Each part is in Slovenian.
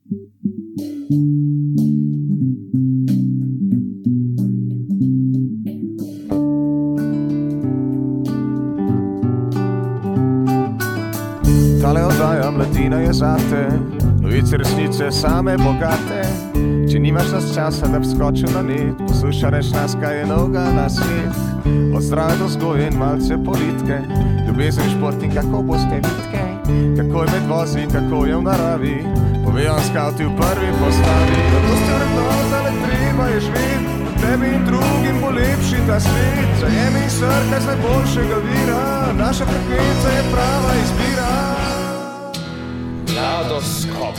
Tale oddaja Mladina je zate, novice resnice same bogate. Če nimaš nas časa, da bi skočil na net, poslušaj nas, kaj je novega na svet. Od zdrave do vzgoje in malce politike, ljubezen, šport in kako boste vitke, kako je med vozi, kako je v naravi, povejo skavti v prvi postavi. Zato ste vrednota, le treba je živeti, tebi in drugim bo lepši ta svet. Zajemi in srkaj z najboljšega vira, naša frekvenca je prava izbira. Mladoskop.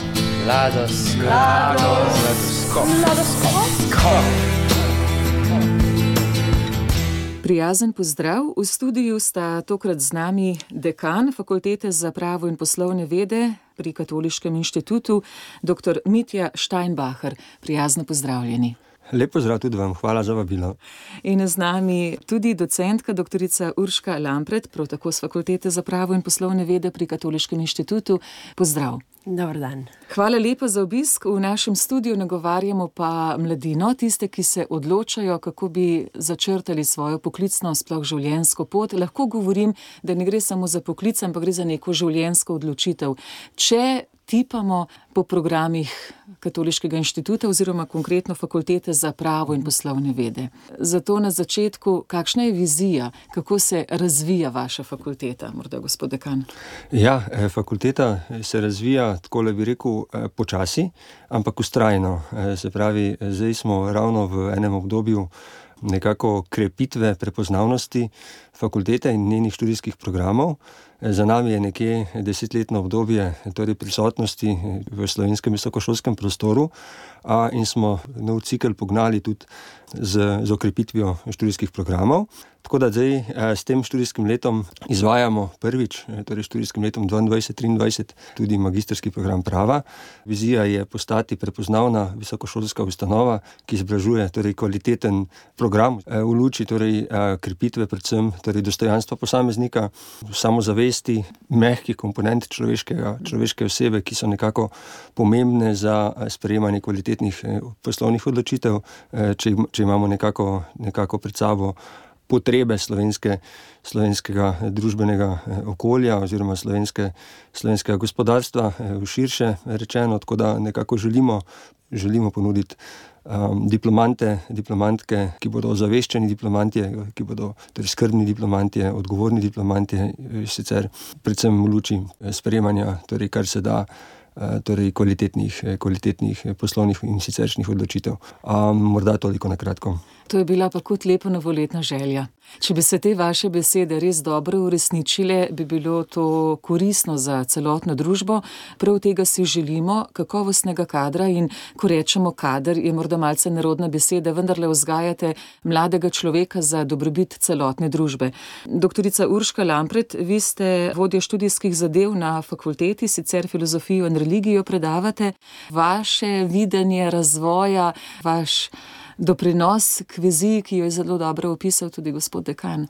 Prijazen pozdrav. V studiu sta tokrat z nami dekan Fakultete za pravo in poslovne vede pri Katoliškem inštitutu, dr. Mitja Steinbacher. Prijazno pozdravljeni. Lep pozdrav tudi vam, hvala za vabilo. In z nami tudi docentka doktorica Urška Lampret, prav tako z Fakultete za pravo in poslovne vede pri Katoliškem inštitutu. Pozdrav. Dobar dan. Hvala lepa za obisk. V našem studiu nagovarjamo pa mladino, tiste, ki se odločajo, kako bi začrtali svojo poklicno, sploh življenjsko pot. Lahko govorim, da ne gre samo za poklic, ampak gre za neko življenjsko odločitev. Če tipamo po programih Katoliškega inštituta oziroma konkretno Fakultete za pravo in poslovne vede. Zato na začetku, kakšna je vizija, kako se razvija vaša fakulteta, morda gospod dekan? Ja, fakulteta se razvija, takole bi rekel, počasi, ampak vztrajno. Se pravi, zdaj smo ravno v enem obdobju nekako krepitve prepoznavnosti fakultete in njenih študijskih programov. Za nami je nekje 10-letno obdobje torej prisotnosti v slovenskem visokošolskem prostoru in smo nov cikel pognali tudi z okrepitvijo študijskih programov. Tako da zdaj s tem študijskim letom izvajamo prvič, torej študijskim letom 2022-2023, tudi magistrski program prava. Vizija je postati prepoznavna visokošolska ustanova, ki izobražuje torej kvaliteten program v luči torej krepitve predvsem torej dostojanstva posameznika, samozavesti, mehkih komponent človeške osebe, ki so nekako pomembne za sprejemanje kvalitetnih poslovnih odločitev, če imamo nekako pred sabo potrebe slovenskega družbenega okolja oziroma slovenskega gospodarstva širše rečeno, tako da nekako želimo ponuditi diplomantke, ki bodo ozaveščeni diplomantje, ki bodo torej skrbni diplomantje, odgovorni diplomantje, sicer predvsem v luči sprejemanja, torej kar se da, torej kvalitetnih poslovnih in siceršnjih odločitev. Morda toliko na kratko. To je bila pa kot lepa novoletna želja. Če bi se te vaše besede res dobro uresničile, bi bilo to koristno za celotno družbo. Prav tega si želimo, kakovostnega kadra, in ko rečemo kader, je morda malce nerodna beseda, vendarle vzgajate mladega človeka za dobrobit celotne družbe. Doktorica Urška Lampret, vi ste vodja študijskih zadev na fakulteti, sicer filozofijo in religijo predavate. Vaše videnje razvoja, vaš doprinos k viziji, ki jo je zelo dobro opisal tudi gospod dekan.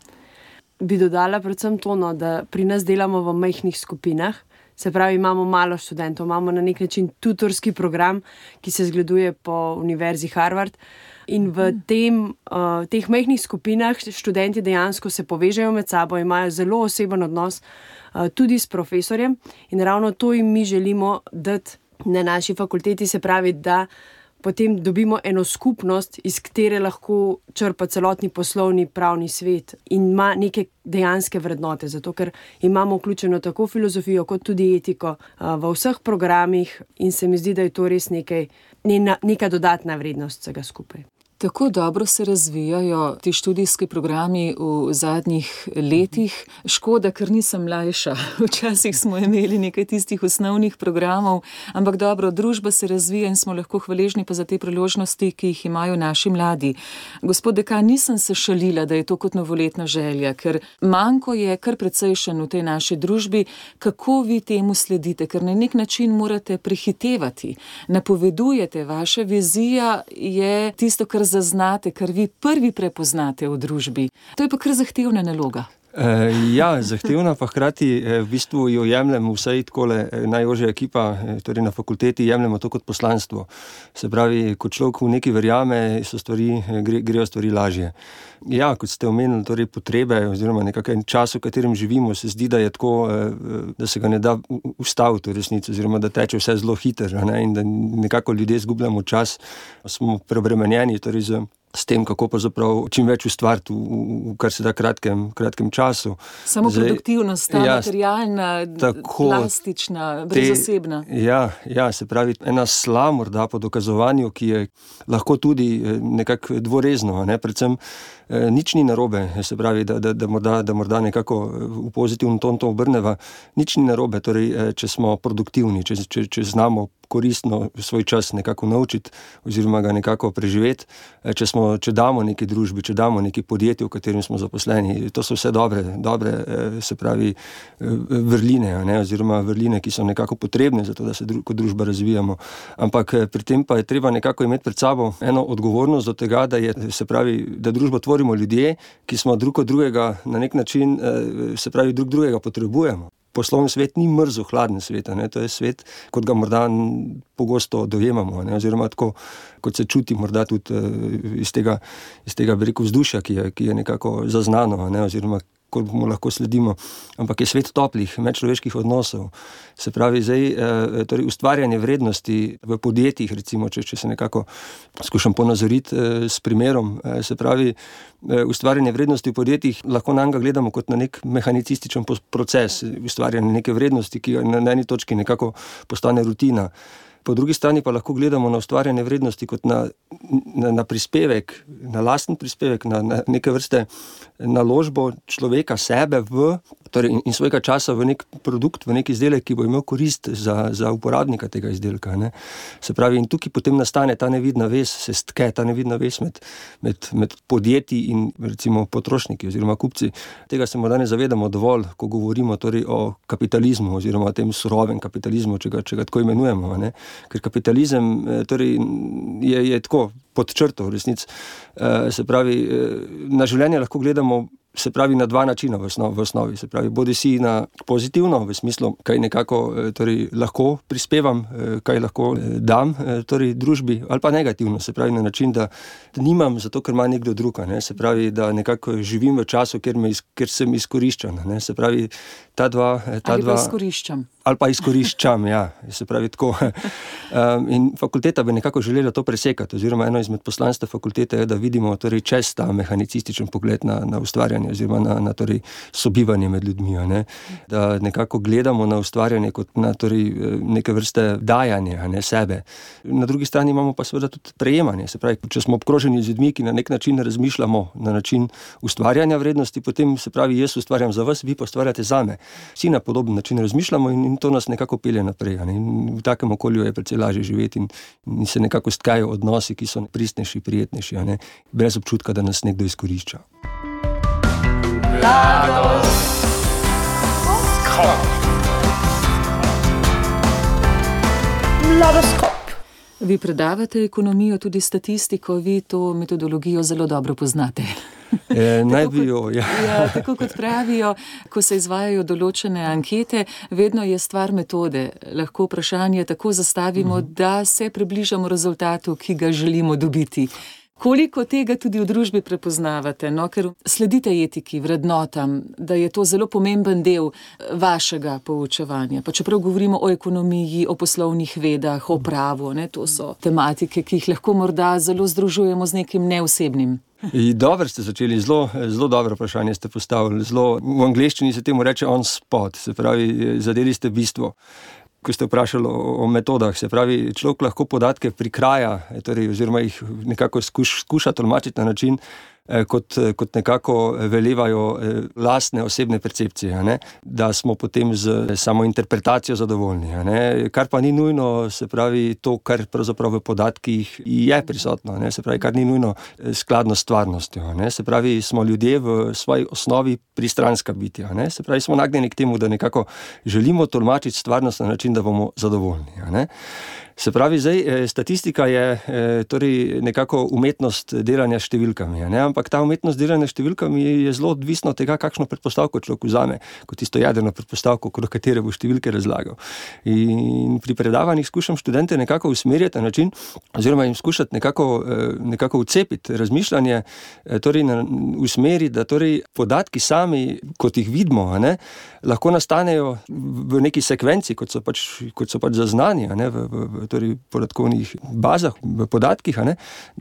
Bi dodala predvsem to, da pri nas delamo v majhnih skupinah, se pravi, imamo malo študentov, imamo na nek način tutorski program, ki se zgleduje po Univerzi Harvard, in v teh majhnih skupinah študenti dejansko se povežejo med sabo, imajo zelo oseben odnos tudi s profesorjem, in ravno to jim mi želimo dati na naši fakulteti, se pravi, da potem dobimo eno skupnost, iz katere lahko črpa celotni poslovni pravni svet in ima neke dejanske vrednote, zato ker imamo vključeno tako filozofijo kot tudi etiko v vseh programih, in se mi zdi, da je to res neka dodatna vrednost vsega skupaj. Tako dobro se razvijajo ti študijski programi v zadnjih letih. Škoda, ker nisem mlajša. Včasih smo imeli nekaj tistih osnovnih programov, ampak dobro, družba se razvija in smo lahko hvaležni pa za te priložnosti, ki jih imajo naši mladi. Gospod dekan, nisem se šalila, da je to kot novoletna želja, ker manko je kar precejšen v tej naši družbi. Kako vi temu sledite? Ker na nek način morate prehitevati. Napovedujete, vaša vizija je tisto, kar zaznate, kar vi prvi prepoznate v družbi. To je pa kar zahtevna naloga. Ja, zahtevna, pa hkrati v bistvu jo jemljemo vsej takole najožja ekipa, torej na fakulteti jemljemo to kot poslanstvo. Se pravi, ko človek v nekaj verjame, grejo stvari lažje. Ja, kot ste omenili, torej potrebe oziroma nekakšen čas, v katerem živimo, se zdi, da je tako, da se ga ne da ustaviti v resnici, oziroma da teče vse zelo hitro, in da nekako ljudje izgubljamo čas, smo preobremenjeni torej s tem, kako pravzaprav čim več ustvariti v kar se da kratkem času. Samo produktivnost, ta materialna, plastična, brezosebna. Ja, se pravi, ena sla morda po dokazovanju, ki je lahko tudi nekako dvorezno, predvsem nič ni narobe, se pravi, da morda nekako v pozitivno ton to obrneva, nič ni narobe, torej, če smo produktivni, če znamo koristno svoj čas nekako naučiti oziroma ga nekako preživeti, če damo neki družbi, če damo neki podjetju, v katerem smo zaposleni, to so vse dobre, se pravi, vrline, oziroma vrline, ki so nekako potrebne za to, da se kot družba razvijamo. Ampak pri tem pa je treba nekako imeti pred sabo eno odgovornost do tega, da družbo tvorimo ljudje, ki smo drug od drugega na nek način, se pravi, drug drugega potrebujemo. Poslovni svet ni mrzo hladen svet, to je svet, kot ga morda pogosto dojemamo, oziroma tako, kot se čuti morda tudi iz tega bi rekel, vzdušja, ki je nekako zaznano, oziroma kot mu lahko sledimo, ampak je svet toplih, medčloveških odnosov. Se pravi, torej ustvarjanje vrednosti v podjetjih, recimo, če se nekako skušam ponazoriti s primerom, se pravi, ustvarjanje vrednosti v podjetjih, lahko nanj gledamo kot na nek mehanicističen proces, ustvarjanje neke vrednosti, ki na eni točki nekako postane rutina. Po drugi strani pa lahko gledamo na ustvarjanje vrednosti kot na prispevek, na lasten prispevek, na neke vrste naložbo človeka sebe in svojega časa v nek produkt, v nek izdelek, ki bo imel korist za uporabnika tega izdelka. Se pravi, in tukaj potem nastane ta nevidna vez, se stke ta nevidna vez med podjetji in recimo potrošniki oziroma kupci. Tega se morda ne zavedamo dovolj, ko govorimo torej o kapitalizmu oziroma o tem surovem kapitalizmu, če ga tako imenujemo, Ker kapitalizem torej je tako pod črto v resnici. Se pravi, na življenje lahko gledamo, se pravi, na dva načina v osnovi. Se pravi, bodi si na pozitivno, v smislu, kaj nekako torej lahko prispevam, kaj lahko dam torej družbi, ali pa negativno, se pravi, na način, da nimam zato, ker ima nekdo drug, se pravi, da nekako živim v času, ker sem izkoriščan, se pravi, ta dva ali pa izkoriščam. Ali pa izkoriščam, ja, se pravi tako. In fakulteta bi nekako želela to presekati, oziroma eno izmed poslanstev fakultete je, da vidimo torej čez ta mehanicističen pogled na ustvarjanje oziroma na torej sobivanje med ljudmi, Da nekako gledamo na ustvarjanje kot na torej neke vrste dajanje, sebe. Na drugi strani imamo pa seveda tudi prejemanje, se pravi, če smo obkroženi z ljudmi, ki na nek način razmišljamo na način ustvarjanja vrednosti, potem se pravi, jaz ustvarjam za vas, vi pa ustvarjate zame. Vsi na podoben način razmišljamo in to nas nekako pelje naprej. In v takem okolju je precej lažje živeti in se nekako stkajo odnosi, ki so pristnejši, prijetnejši, brez občutka, da nas nekdo izkorišča. Mladoskop. Vi predavate ekonomijo, tudi statistiko, vi to metodologijo zelo dobro poznate. Tako kot pravijo, ko se izvajajo določene ankete, vedno je stvar metode. Lahko vprašanje tako zastavimo, da se približamo rezultatu, ki ga želimo dobiti. Koliko tega tudi v družbi prepoznavate, ker sledite etiki, vrednotam, da je to zelo pomemben del vašega poučevanja. Pa čeprav govorimo o ekonomiji, o poslovnih vedah, o pravu, to so tematike, ki jih lahko morda zelo združujemo z nekim neosebnim. Dobro ste začeli, zelo dobro vprašanje ste postavili. V angleščini se temu reče on spot, se pravi, zadeli ste bistvo. Ko ste vprašali o metodah, se pravi, človek lahko podatke prikraja, torej, oziroma jih nekako skuša tolmačiti na način, kot nekako velevajo lastne osebne percepcije, da smo potem z samo interpretacijo zadovoljni, kar pa ni nujno, se pravi, to, kar pravzaprav v podatkih je prisotno, se pravi, kar ni nujno skladno s stvarnostjo, se pravi, smo ljudje v svoji osnovi pristranska bitja, se pravi, smo nagnjeni k temu, da nekako želimo tolmačiti stvarnost na način, da bomo zadovoljni, Se pravi, zdaj statistika je torej nekako umetnost delanja s številkami, ne? Ampak ta umetnost delanja s številkami je zelo odvisna od tega, kakšno predpostavko človek vzame, kot tisto jedrno predpostavko, okrog katere bo številke razlagal. In pri predavanjih skušam študente nekako usmerjati na način, oziroma jim skušati nekako vcepiti razmišljanje, torej v smeri, da torej podatki sami, kot jih vidimo, ne, lahko nastanejo v neki sekvenci, kot so pač zaznani, ne, v torej podatkovnih bazah, v podatkih, ne,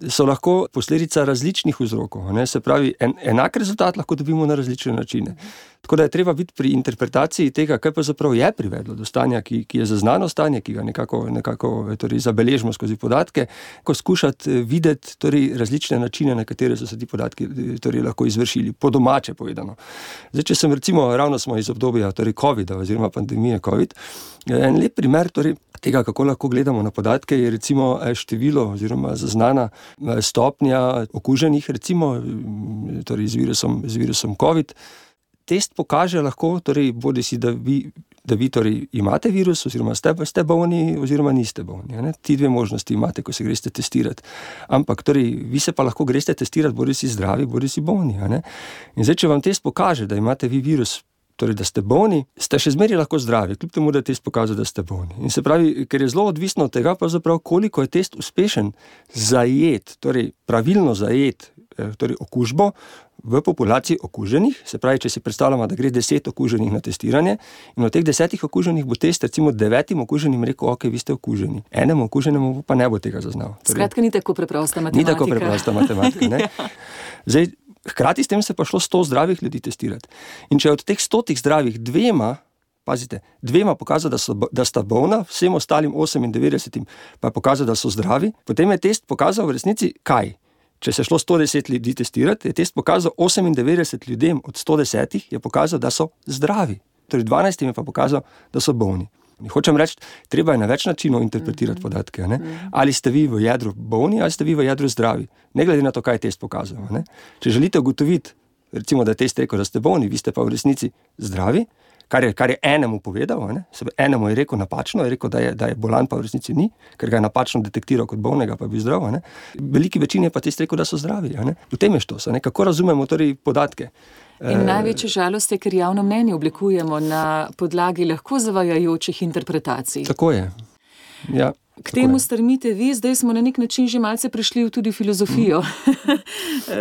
so lahko posledica različnih vzrokov, ne. Se pravi, enak rezultat lahko dobimo na različne načine. Tako da je treba biti pri interpretaciji tega, kaj pa zaprav je privedlo do stanja, ki je zaznano stanje, ki ga nekako torej zabeležimo skozi podatke, ko skušati videti torej različne načine, na katere so se ti podatki torej lahko izvršili, po domače povedano. Zdaj, če sem recimo, ravno smo iz obdobja torej COVID-a oziroma pandemije COVID, en lep primer torej tega, kako lahko gledamo na podatke, je recimo število oziroma zaznana stopnja okuženih, recimo torej z virusom COVID. Test pokaže lahko, torej bodisi, da vi torej imate virus oziroma ste bolni oziroma niste bolni. Ne? Ti dve možnosti imate, ko se greste testirati. Ampak torej, vi se pa lahko greste testirati, bodisi zdravi, bodisi bolni. Ne? In zdaj, če vam test pokaže, da imate vi virus, torej, da ste bolni, ste še zmeraj lahko zdravi, kljub temu, da je test pokazal, da ste bolni. In se pravi, ker je zelo odvisno od tega, pravzaprav, koliko je test uspešen zajet, torej pravilno zajet, torej okužbo v populaciji okuženih, se pravi, če si predstavljamo, da gre 10 okuženih na testiranje in od teh 10 okuženih bo test recimo 9 okuženim rekel, ok, vi ste okuženi. Enemu okuženemu pa ne bo tega zaznal. Skratka, ni tako preprosta matematika. Ni tako preprosta matematika, ne. Zdaj, hkrati s tem se pa šlo 100 zdravih ljudi testirati. In če od teh 100 zdravih dvema pokazal, da sta bolna, vsem ostalim 98 pa je pokazal, da so zdravi, potem je test pokazal v resnici kaj? Če se šlo 110 ljudi testirati, je test pokazal 98 ljudem od 110 je pokazal, da so zdravi. Torej 12 je pa pokazal, da so bolni. Hočem reči, treba je na več načinov interpretirati podatke. Ne? Ali ste vi v jedru bolni, ali ste vi v jedru zdravi. Ne glede na to, kaj je test pokazal. Ne? Če želite ugotoviti, recimo, da je test rekel, da ste bolni, vi ste pa v resnici zdravi, kar je enemu povedal, ne? Enemu je rekel napačno, je rekel, da je bolan, pa v resnici ni, ker ga je napačno detektiral kot bolnega, pa bi zdrav. Ne? Veliki večini je pa test rekel, da so zdravi. Ne? V tem je štos, ne? Kako razumemo torej podatke. In največja žalost je, ker javno mnenje oblikujemo na podlagi lahko zavajajočih interpretacij. Tako je, ja. K temu strmite vi, zdaj smo na nek način že malce prišli tudi v filozofijo.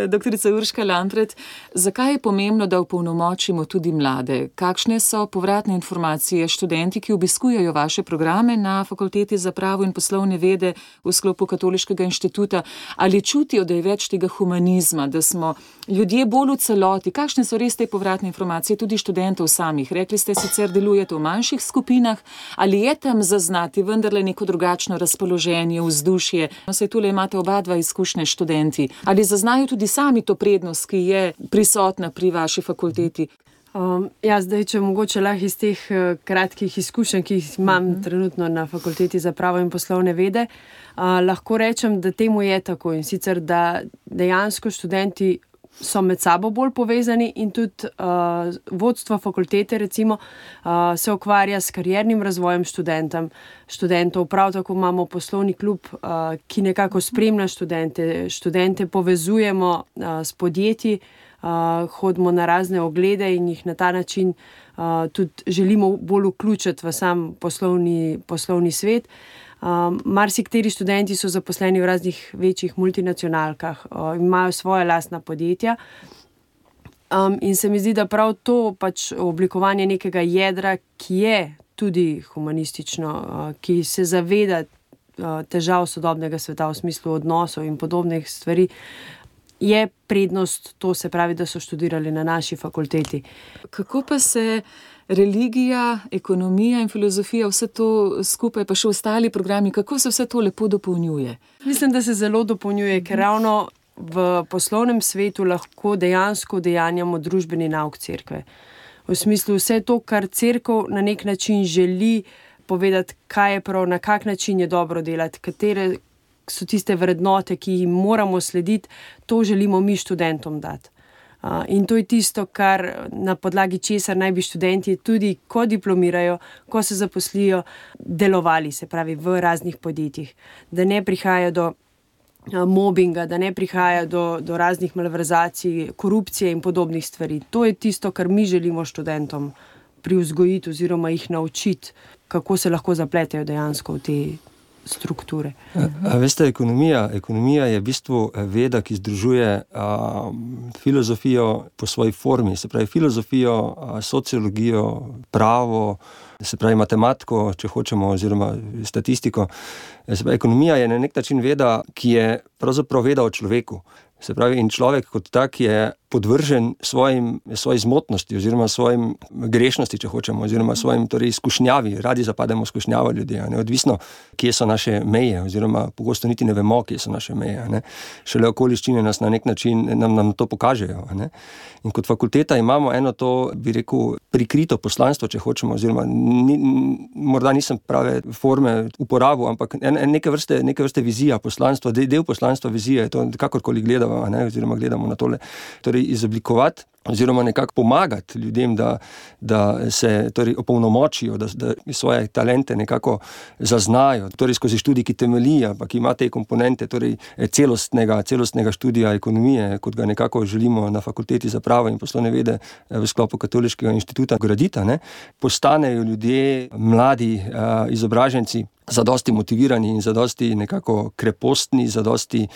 Doktorica Urška Lampret, zakaj je pomembno, da opolnomočimo tudi mlade? Kakšne so povratne informacije študenti, ki obiskujejo vaše programe na Fakulteti za pravo in poslovne vede v sklopu Katoliškega inštituta? Ali čutijo, da je več tega humanizma, da smo ljudje bolj v celoti? Kakšne so res te povratne informacije tudi študentov samih? Rekli ste, sicer delujete v manjših skupinah, ali je tam zaznati vendarle neko drugačno razpoloženje, vzdušje? Saj tule imate oba dva izkušnje študenti. Ali zaznajo tudi sami to prednost, ki je prisotna pri vaši fakulteti? Zdaj, če mogoče lahko iz teh kratkih izkušenj, ki jih imam trenutno na Fakulteti za pravo in poslovne vede, lahko rečem, da temu je tako in sicer, da dejansko študenti so med sabo bolj povezani in tudi vodstvo fakultete recimo se ukvarja s kariernim razvojem študentov. Prav tako imamo poslovni klub, ki nekako spremlja študente povezujemo s podjetji, hodimo na razne oglede in jih na ta način tudi želimo bolj vključiti v sam poslovni svet. Marsikateri študenti so zaposleni v raznih večjih multinacionalkah, imajo svoje lastna podjetja in se mi zdi, da prav to pač oblikovanje nekega jedra, ki je tudi humanistično, ki se zaveda težav sodobnega sveta v smislu odnosov in podobnih stvari, je prednost, to se pravi, da so študirali na naši fakulteti. Kako pa se religija, ekonomija in filozofija, vse to skupaj, pa še ostali programi, kako se vse to lepo dopolnjuje? Mislim, da se zelo dopolnjuje, ker ravno v poslovnem svetu lahko dejansko udejanjamo družbeni nauk cerkve. V smislu vse to, kar cerkev na nek način želi povedati, kaj je prav, na kak način je dobro delati, katere so tiste vrednote, ki jim moramo slediti, to želimo mi študentom dati. In to je tisto, kar na podlagi česar naj bi študenti tudi, ko diplomirajo, ko se zaposlijo, delovali, se pravi v raznih podjetjih. Da ne prihaja do mobinga, da ne prihaja do raznih malverzacij, korupcije in podobnih stvari. To je tisto, kar mi želimo študentom privzgojiti oziroma jih naučiti, kako se lahko zapletejo dejansko v te strukture. Veste, ekonomija je v bistvu veda, ki združuje filozofijo po svoji formi, se pravi filozofijo, sociologijo, pravo, se pravi matematiko, če hočemo, oziroma statistiko. Se pravi, ekonomija je na nek način veda, ki je pravzaprav veda o človeku. Se pravi, in človek kot tak je podvržen svoji zmotnosti oziroma svojim grešnosti, če hočemo, oziroma svojim torej izkušnjavi. Radi zapademo skušnjava ljudi, neodvisno, kje so naše meje, oziroma pogosto niti ne vemo, kje so naše meje. Šele okoliščine nas na nek način nam to pokažejo. In kot fakulteta imamo eno to, bi rekel, prikrito poslanstvo, če hočemo, oziroma morda nisem prave forme uporabil, ampak neke vrste vizija poslanstva, del poslanstva vizije je to, kakorkoli gledamo, oziroma gledamo na tole. Torej izoblikovati oziroma nekako pomagati ljudem, da se torej opolnomočijo, da svoje talente nekako zaznajo, torej skozi študij, ki temelji, ampak ima te komponente torej celostnega študija ekonomije, kot ga nekako želimo na Fakulteti za pravo in poslovne vede v sklopu Katoliškega inštituta graditi, postanejo ljudje, mladi izobraženci, zadosti motivirani in zadosti nekako krepostni, zadosti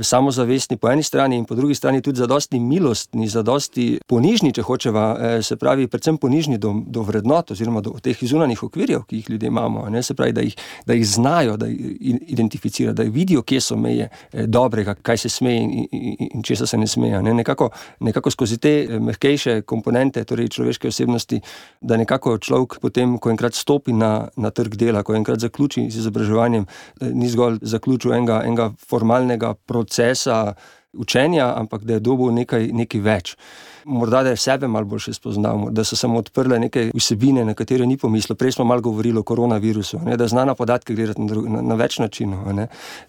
samozavestni po eni strani in po drugi strani tudi zadosti milostni, zadosti ponižni, če hočeva, se pravi predvsem ponižni do vrednot oziroma do teh zunanjih okvirjev, ki jih ljudje imamo, se pravi, da jih znajo, da jih identificirajo, da vidijo, kje so meje dobrega, kaj se sme in česa se ne sme. Nekako skozi te mehkejše komponente, torej človeške osebnosti, da nekako človek potem, ko enkrat stopi na trg dela, ko enkrat zaključi z izobraževanjem, ni zgolj zaključil enega formalnega procesa učenja, ampak da je dobil nekaj več. Morda, da je sebe malo boljše spoznal, da so se mu odprle neke vsebine, na katere ni pomislil. Prej smo malo govorili o koronavirusu, da zna na podatke gledati na več načinov,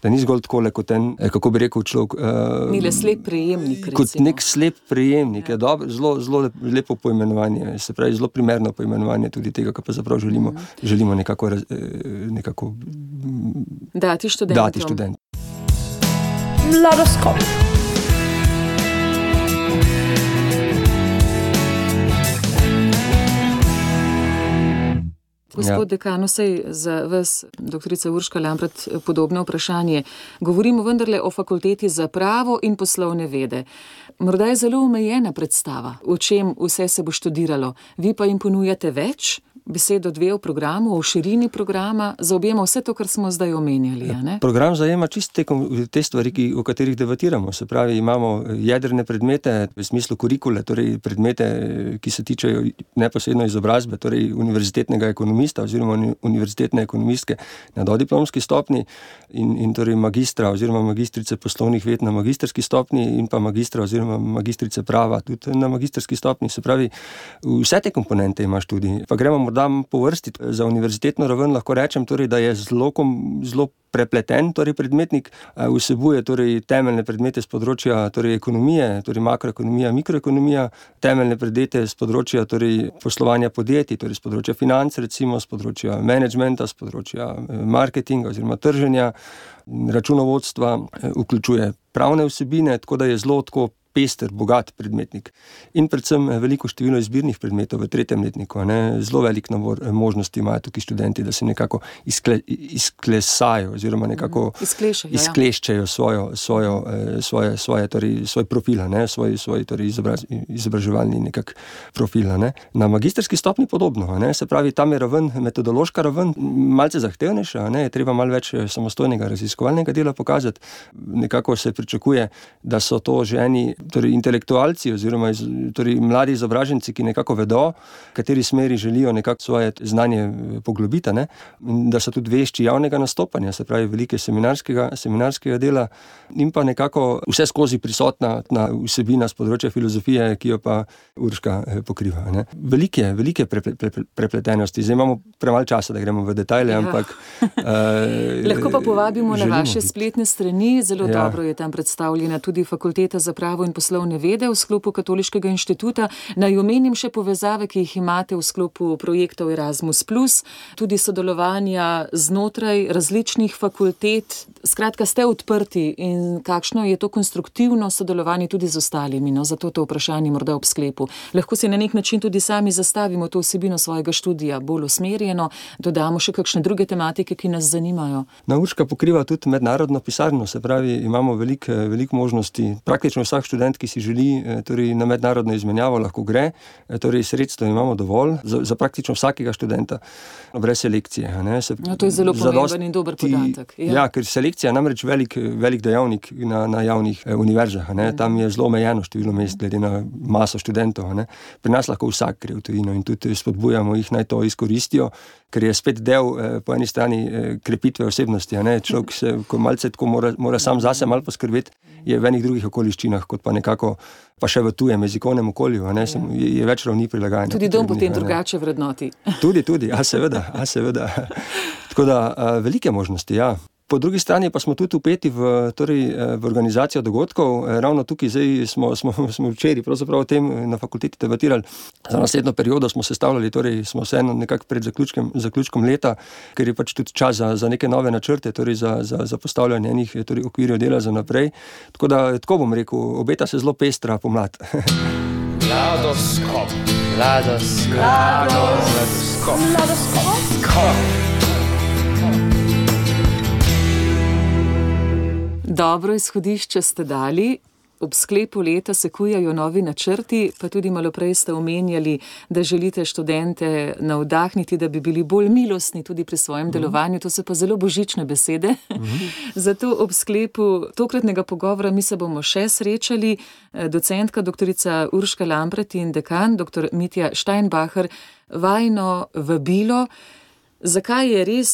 da ni zgolj takole kot kako bi rekel človek... Ni le slep prejemnik, recimo. Kot nek slep prejemnik, je dobro, zelo lepo poimenovanje, se pravi, zelo primerno poimenovanje tudi tega, kar pa zaprav želimo nekako dati študentom. Mladoskop. Gospod dekan, saj za vas, doktorica Urška Lampret, podobno vprašanje. Govorimo vendarle o Fakulteti za pravo in poslovne vede. Morda je zelo omejena predstava, o čem vse se bo študiralo. Vi pa jim ponujate več? Besedo dve o programu, o širini programa, zaobjema vse to, kar smo zdaj omenjali. Program zajema čisto te stvari, o katerih debatiramo. Se pravi, imamo jedrne predmete v smislu kurikule, torej predmete, ki se tičejo neposredno izobrazbe, torej univerzitetnega ekonomista oziroma univerzitetne ekonomistke na dodiplomski stopni in torej magistra oziroma magistrice poslovnih ved na magistrski stopni in pa magistra oziroma magistrice prava tudi na magistrski stopni. Se pravi, vse te komponente ima študij. Pa gremo morda po vrsti. Za univerzitetno raven lahko rečem, torej, da je zelo prepleten, torej predmetnik vsebuje torej temeljne predmete z področja torej ekonomije, torej makroekonomija, mikroekonomija, temeljne predmete z področja torej poslovanja podjetij, torej z področja financ, recimo z področja menedžmenta, z področja marketinga oziroma trženja, računovodstva, vključuje pravne vsebine, tako da je zelo tako pester, bogat predmetnik. In predvsem veliko število izbirnih predmetov v 3. letniku. Zelo velik nabor možnosti imajo tukaj študenti, da se nekako izklesajo oziroma nekako izkleščajo svoj profil, svoj torej izobraževalni nekak profil. Na magistrski stopni podobno. Se pravi, tam je metodološka raven malce zahtevnejša, je treba malo več samostojnega raziskovalnega dela pokazati. Nekako se pričakuje, da so to že eni torej intelektualci oziroma torej mladi izobraženci, ki nekako vedo, v kateri smeri želijo nekako svoje znanje poglobiti, in da so tudi vešči javnega nastopanja, se pravi velike seminarskega dela in pa nekako vse skozi prisotna vsebina z področja filozofije, ki jo pa Urška pokriva. Velike prepletenosti. Zdaj imamo premalo časa, da gremo v detajle, ampak... Lahko pa povabimo na vaše spletne strani. Zelo dobro je tam predstavljena tudi Fakulteta za pravo in poslovne vede v sklopu Katoliškega inštituta. Naj omenim še povezave, ki jih imate v sklopu projektov Erasmus+, tudi sodelovanja znotraj različnih fakultet. Skratka, ste odprti in kakšno je to konstruktivno sodelovanje tudi z ostalimi, no, zato to vprašanje morda ob sklepu. Lahko si na nek način tudi sami zastavimo to vsebino svojega študija bolj usmerjeno, dodamo še kakšne druge tematike, ki nas zanimajo. Urška pokriva tudi mednarodno pisarno, se pravi, imamo veliko možnosti. Praktično vsak študent, ki si želi torej na mednarodno izmenjavo, lahko gre, torej sredstva imamo dovolj za praktično vsakega študenta, brez selekcije. No, to je zelo pomemben in dober podatek. Ja, ker selekcija je namreč velik dejavnik na javnih univerzah. Tam je zelo omejeno število mest glede na maso študentov. Pri nas lahko vsak gre v tujino in tudi spodbujamo jih, naj to izkoristijo, ker je spet del po eni strani krepitve osebnosti. Človek se, ko malce tako mora sam zase malo poskrbeti, je v enih drugih okoliščinah, kot pa nekako pa še v tujem jezikovnem okolju, je več ravni prilagajanja. Tudi dom potem drugače vrednoti. Tudi, seveda. Tako da velike možnosti, ja. Po drugi strani pa smo tudi vpeti v organizacijo dogodkov. Ravno tukaj zdaj smo včeraj pravzaprav o tem na fakulteti debatirali. Za naslednjo periodo smo sestavljali, smo vseeno nekako pred zaključkom leta, ker je pač tudi čas za neke nove načrte, za postavljanje enih okvirjev dela za naprej. Tako bom rekel, obeta se zelo pestra pomlad. Mladoskop. Dobro izhodišče ste dali, ob sklepu leta se kujajo novi načrti, pa tudi malo prej ste omenjali, da želite študente navdahniti, da bi bili bolj milostni tudi pri svojem delovanju. To so pa zelo božične besede. Zato ob sklepu tokratnega pogovora mi se bomo še srečali. Docentka doktorica Urška Lampret in dekan dr. Mitja Steinbacher, vajino vabilo. Zakaj je res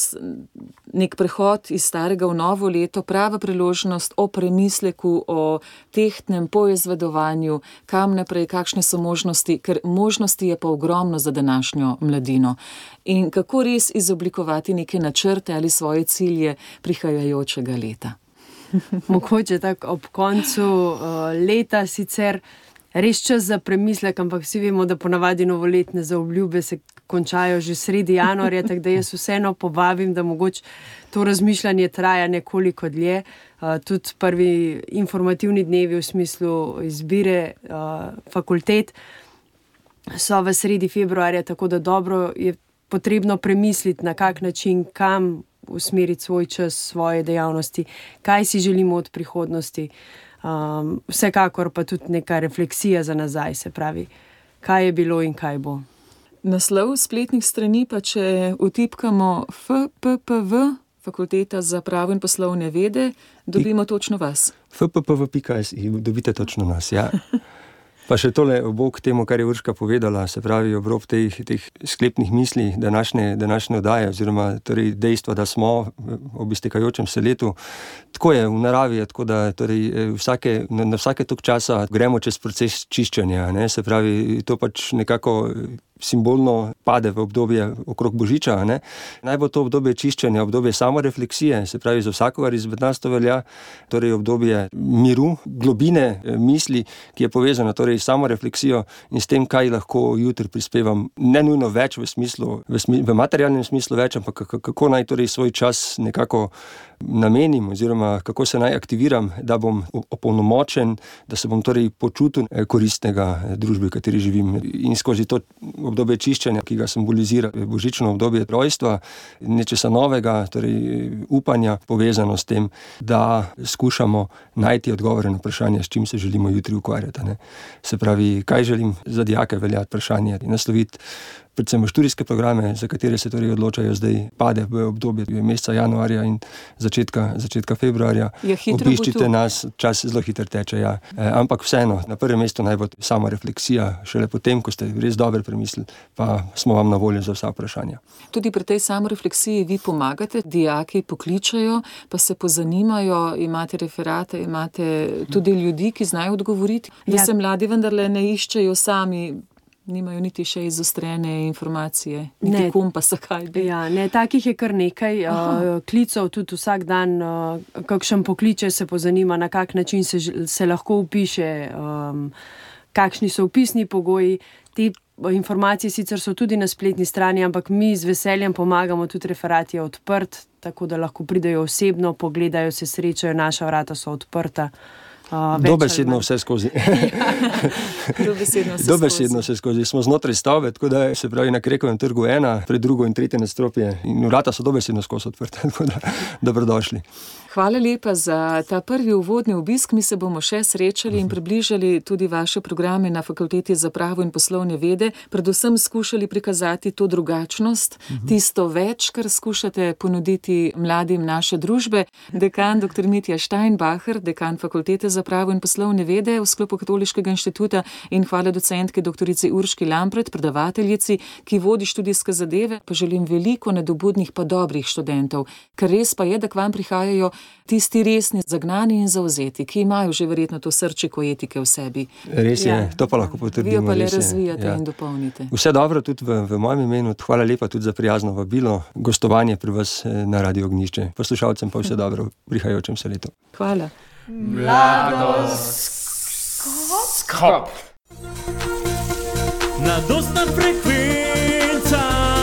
nek prehod iz starega v novo leto prava priložnost o premisleku, o tehtnem poizvedovanju, kam naprej, kakšne so možnosti, ker možnosti je pa ogromno za današnjo mladino. In kako res izoblikovati neke načrte ali svoje cilje prihajajočega leta? Mogoče tako ob koncu leta sicer res čas za premislek, ampak vsi vemo, da ponavadi novoletne zaobljube se končajo že sredi januarja, tako da jaz vseeno povabim, da mogoče to razmišljanje traja nekoliko dlje. Tudi prvi informativni dnevi v smislu izbire fakultet so v sredi februarja, tako da dobro je potrebno premisliti, na kak način, kam usmeriti svoj čas, svoje dejavnosti, kaj si želimo od prihodnosti. Vsekakor pa tudi neka refleksija za nazaj, se pravi, kaj je bilo in kaj bo. Naslov spletnih strani pa, če vtipkamo FPPV, Fakulteta za pravo in poslovne vede, dobimo točno vas. fppv.si, dobite točno nas, ja. Pa še tole obok temu, kar je Urška povedala, se pravi obrob teh sklepnih misli današnje oddaje, oziroma torej dejstva, da smo ob iztekajočem se letu. Tako je v naravi, tako da torej na vsake tok časa gremo čez proces čiščenja, se pravi, to pač nekako simbolno pade v obdobje okrog Božiča. Naj bo to obdobje čiščenja, obdobje samorefleksije, se pravi za vsakogar izmed nas to velja, torej obdobje miru, globine misli, ki je povezana torej s samorefleksijo in s tem, kaj lahko jutri prispevam, ne nujno več v materialnem smislu več, ampak kako naj torej svoj čas nekako namenim oziroma kako se naj aktiviram, da bom opolnomočen, da se bom torej počutil koristnega družbe, v kateri živim. In skozi to obdobje čiščenja, ki ga simbolizira božično obdobje rojstva, nečesa novega, torej upanja, povezano s tem, da skušamo najti odgovore na vprašanje, s čim se želimo jutri ukvarjati. Se pravi, kaj želim za dijake veljati vprašanje in nasloviti predvsem v študijske programe, za katere se torej odločajo zdaj, pade v obdobje meseca januarja in začetka februarja. Obiščite nas, čas zelo hitro teče, ja. Ampak vseeno, na prvem mestu naj bo sama refleksija, šele potem, ko ste res dobro premislili, pa smo vam na voljo za vsa vprašanja. Tudi pri tej samorefleksiji vi pomagate, dijaki pokličajo, pa se pozanimajo, imate referate, imate tudi ljudi, ki znajo odgovoriti, da se mladi vendarle ne iščejo sami Nimajo niti še izostrene informacije, niti kompasa, kaj bi. Ja, ne, takih je kar nekaj klicev, tudi vsak dan kakšen pokliče, se pozanima, na kak način se lahko vpiše, kakšni so vpisni pogoji. Te informacije sicer so tudi na spletni strani, ampak mi z veseljem pomagamo, tudi referat je odprt, tako da lahko pridejo osebno, pogledajo, se srečajo, naša vrata so odprta. Dobesedno vse skozi. Dobesedno vse skozi. Smo znotraj stavbe, tako da se pravi na Krekovem trgu 1, pred drugo in tretje nadstropje in vrata so dobesedno skozi odprte, tako da dobrodošli. Hvala lepa za ta prvi uvodni obisk. Mi se bomo še srečali in približali tudi vaše programe na Fakulteti za pravo in poslovne vede. Predvsem skušali prikazati to drugačnost, tisto več, kar skušate ponuditi mladim naše družbe. Dekan dr. Mitja Steinbacher, dekan Fakultete za pravo in poslovne vede v sklopu Katoliškega inštituta, in hvala docentki dr. Urški Lampret, predavateljici, ki vodi študijske zadeve. Pa želim veliko nadobudnih pa dobrih študentov, ker res pa je, da k vam prihajajo tisti resni, zagnani in zavzeti, ki imajo že verjetno to srčiko etike v sebi. Res je, to pa lahko potrdimo. Vi jo pa le razvijate in dopolnite. Vse dobro tudi v mojem imenu. Hvala lepa tudi za prijazno vabilo, gostovanje pri vas na Radio Ognjišče. Poslušalcem pa vse dobro v prihajajočem se letu. Hvala. Mladoskop. Mladostna frekvenca.